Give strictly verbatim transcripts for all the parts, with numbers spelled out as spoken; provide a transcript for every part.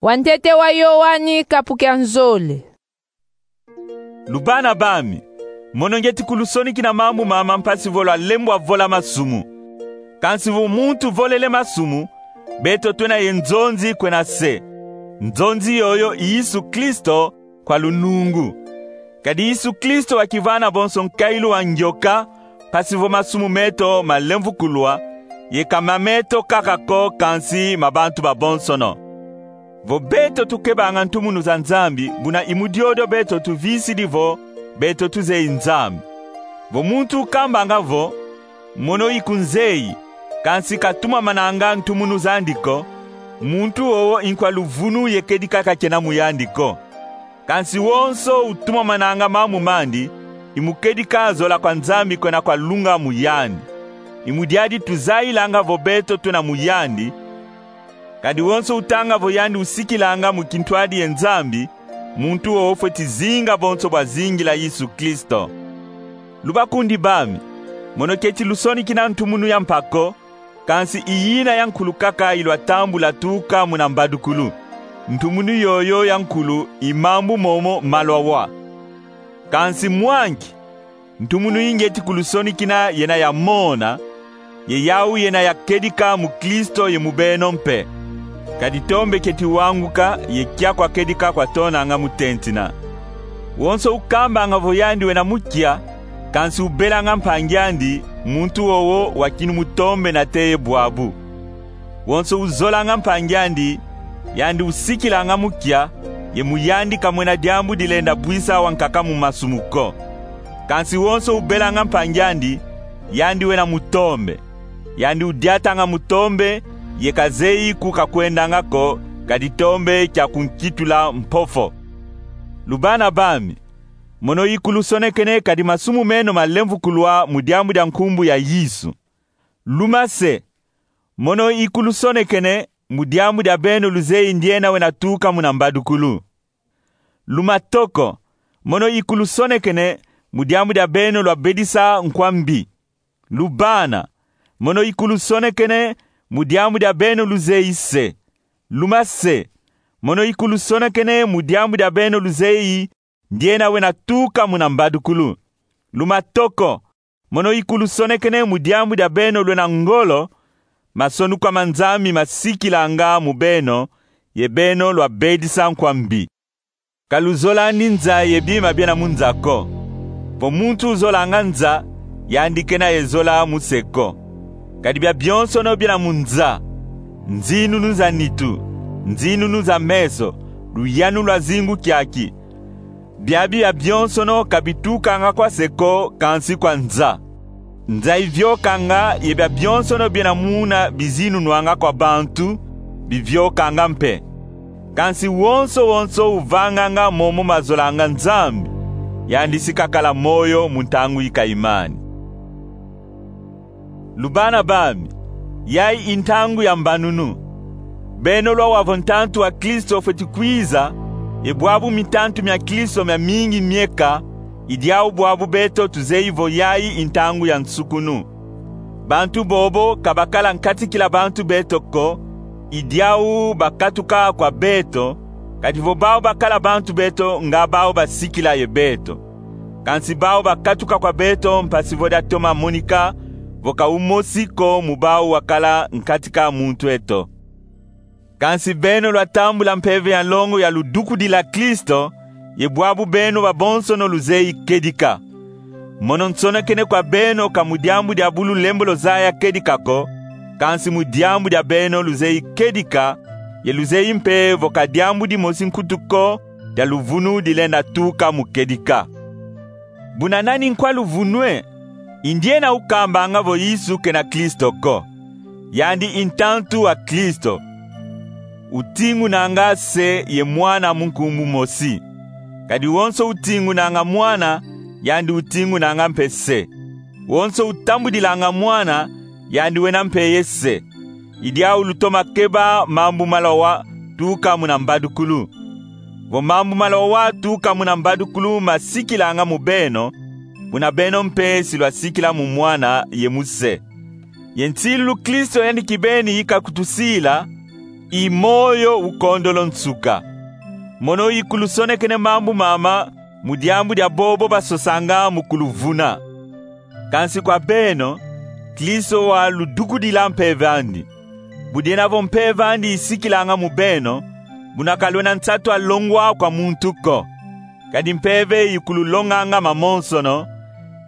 Wantete wa Yoani, kapu kia nzole. Lubana bami, mono ngieti kulusonikina mambu mama mpasi vo lwalembwa vola masumu. Kansi vo muntu volele masumu, beto twena ye nzonzi kwena se. Nzonzi yoyo i Yesu Kristo kwa lunungu. Kadi Yesu Kristo wakivana bonso nkailu wa ngioka, mpasi vo masumu meto malemvukulwa, ye ka mameto kaka ko, kansi ma bantu babonsono. Vo beto tukebanga ntumunu za Nzambi, buna i mu diodio beto tuvisidi vo beto tuzeyi Nzambi. Vo muntu ukambanga vo: "Mono iku nzeyi, kansi katumamananga ntumunu zandi ko," muntu wowo i nkwa luvunu ye kedika ka kena mu yandi ko. Kansi wonso utumamananga mambu mandi, i mu kedika zola kwa Nzambi kwena kwa lunga mu yandi. I mu diadi tuzayilanga vo beto twena mu yandi. Kadi wonso utanga vo yandi usikilanga mu kintwadi ye Nzambi, muntu wowo fweti zinga bonso bwazingila Yesu Kristo. Lubakundi bami, mono keti lusonikina ntumunu ya mpa ko, kansi i yina ya nkulu kaka i lwatambula tuka muna mbadukulu. Ntumunu yoyo ya nkulu i mambu momo ma lwawa. Kansi mwa nki? Ntumunu i ngieti kulusonikina yena ya mona, ye yau yena ya kedika mu Kristo ye mu beno mpe. Kadi tombe keti wanguka, ye kia kwa kedika kwatonanga mu tentina. Wonso ukambanga vo yandi wena mu kia, kansi ubelanga mpangi andi, muntu wowo wakinu mu tombe nate ye bwabu. Wonso uzolanga mpangi andi, yandi usikilanga mu kia, ye mu yandi ka mwena diambu dilenda bwisa wankaka mu masumu ko. Kansi wonso ubelanga mpangi andi, yandi wena mu tombe. Yandi udiatanga mu tombe, ye ka zeyi ku kakwendanga ko, kadi tombe kia kunkitula mpofo. Lubana bami, mono ikulusonekene kadi masumu meno malemvukulwa mu diambu dia nkumbu ya Yesu. Luma se, mono ikulusonekene mu diambu dia beno luzeyi ndiena wena tuka muna mbadukulu. Luma toko, mono ikulusonekene mu diambu dia beno lwabedisa nkwa mbi. Lubana, mono ikulusonekene mu diambu dia beno luzeyi se. Luma se, mono ikulusonekene mu diambu dia beno luzeyi ndiena wena tuka muna mbadukulu. Luma toko, mono ikulusonekene mu diambu dia beno lwena ngolo, masonukwa ma Nzambi masikilanga mu beno, ye beno lwabedisa nkwa mbi. Ka luzolani nza ye bima biena mu nza ko. Vo muntu uzolanga nza, yandi kena ye zola mu se ko. Kadi biabionsono biena mu nza, nzinunu za nitu, nzinunu za meso, luyanu lwa zingu kiaki, biabi biabionsono ka bitukanga kwa se ko, kansi kwa nza. Nza iviokanga, ye biabionsono biena muna bizinunwanga kwa bantu, biviokanga mpe. Kansi wonso wonso uvanganga momo mazolanga Nzambi, yandi si kakala moyo mu ntangu ikayimani. Lubana bami, yayi i ntangu ya mbanunu. Beno lwawa vo ntantu wa Kristo fweti kwiza, ye bwabu mitantu mia Kristo miamingi mieka, i diau bwabu beto tuzeyi vo yayi i ntangu ya nsukunu. Bantu bobo ka bakala nkatikila bantu beto ko, i diau bakatuka kwa beto, kadi vo bau bakala bantu beto, nga bau basikila ye beto. Kansi bau bakatuka kwa beto mpasi vo diatoma monika vo ka umosi ko mu bau wakala nkatika muntu eto. Kansi beno lwatambula mpeve ya nlongo ya ludukudila Kristo, ye bwabu beno babonsono luzeyi kedika. Mono nsonekene kwa beno ka mu diambu dia bu lulembo luzaya kedika ko, kansi mu diambu dia beno luzeyi kedika, ye luzeyi mpe vo ka diambu dimosi nkutu ko dia luvunu dilenda tuka mu kedika. Buna nani nkwa luvunu e? I ndiena ukambanga vo Yesu kena Kristo ko. Yandi i ntantu wa Kristo. Utingunanga Se ye Mwana mu nkumbu mosi. Kadi wonso utingunanga Mwana, yandi utingunanga mpe Se. Wonso utambudilanga Mwana, yandi wena mpe ye Se. I diau lutoma keba mambu ma lwawa tuka muna mbadukulu. Vo mambu ma lwawa tuka muna mbadukulu masikilanga mu beno, buna beno mpe si lwasikila mu Mwana ye mu Se. Ye nsilulu Kristo yandi kibeni ika kutusila, i moyo ukondolo nsuka. Mono i kulusonekene mambu mama mu diambu dia bobo basosanga mu kuluvuna. Kansi kwa beno, Kristo waludukudila mpeve andi. Bu diena vo mpeve andi isikilanga mu beno, buna ka lwena nsatu a longwa kwa muntu ko. Kadi mpeve ikululonganga mamonsono,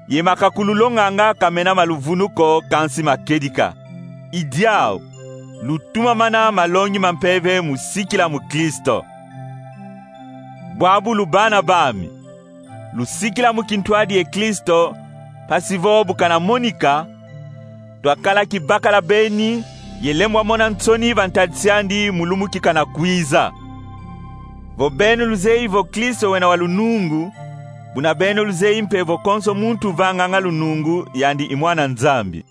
ye ma kakululonganga ka mena ma luvunu ko, kansi ma kedika. I diau, lutumamana malongi ma mpeve mu sikila mu Kristo. Bwabu lubana bami, lusikila mu kintwadi ye Kristo, mpasi vo bu kana monika, twakala kibakala beni ye lembwa mona nsoni va ntadisi andi mu lumbu ki kana kwiza. Vo beno luzeyi vo Kristo wena wa lunungu, buna beno luzeyi mpe vo konso muntu uvanganga lunungu, yandi i mwana Nzambi.